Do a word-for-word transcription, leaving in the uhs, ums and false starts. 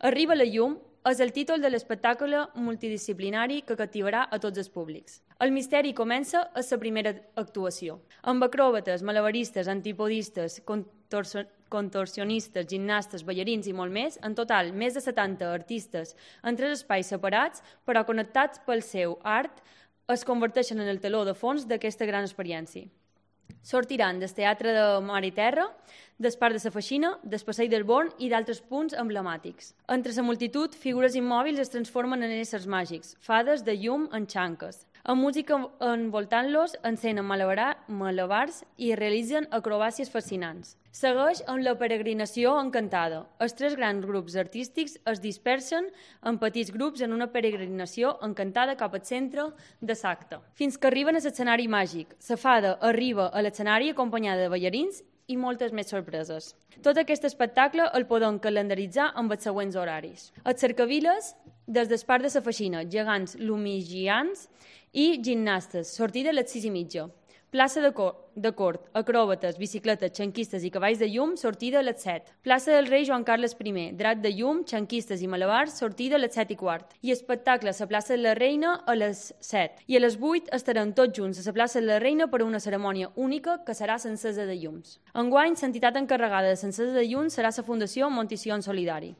Arriba la llum és el títol de l'espectacle multidisciplinari que captivarà a tots els públics. El misteri comença a la primera actuació. Amb acròbates, malabaristes, antipodistes, contorso contorsionistes, gimnastes, ballarins i molt més, en total més de setanta artistes en tres espais separats, però connectats pel seu art, es converteixen en el teló de fons d'aquesta gran experiència. Sortiran del Teatre de Mar i Terra, del Parc de la Feixina, del Passeig del Born i d'altres punts emblemàtics. Entre la multitud, figures immòbils es transformen en éssers màgics, fades de llum en xanques. Amb música envoltant-los, encenen malabars i realitzen acrobàcies fascinants. Segueix amb la peregrinació encantada. Els tres grans grups artístics es dispersen en petits grups en una peregrinació encantada cap al centre de l'acte, fins que arriben a l'escenari màgic. La fada arriba a l'escenari acompanyada de ballarins i moltes més sorpreses. Tot aquest espectacle el podem calendaritzar amb els següents horaris. Els cercaviles, des del Parc de la Feixina, gegants lumigians i gimnastes, sortida a les sis i mitja. Plaça de, cor de cort, acròbates, bicicletes, xanquistes i cavalls de llum, sortida a les set. Plaça del rei Joan Carles I, drat de llum, xanquistes i malabars, sortida a les set i quart. I espectacle a la plaça de la Reina a les set. I a les vuit estarem tots junts a la plaça de la Reina per a una cerimònia única que serà l'encesa de llums. Enguany, l'entitat encarregada de l'encesa de llums serà la Fundació Montició en Solidari.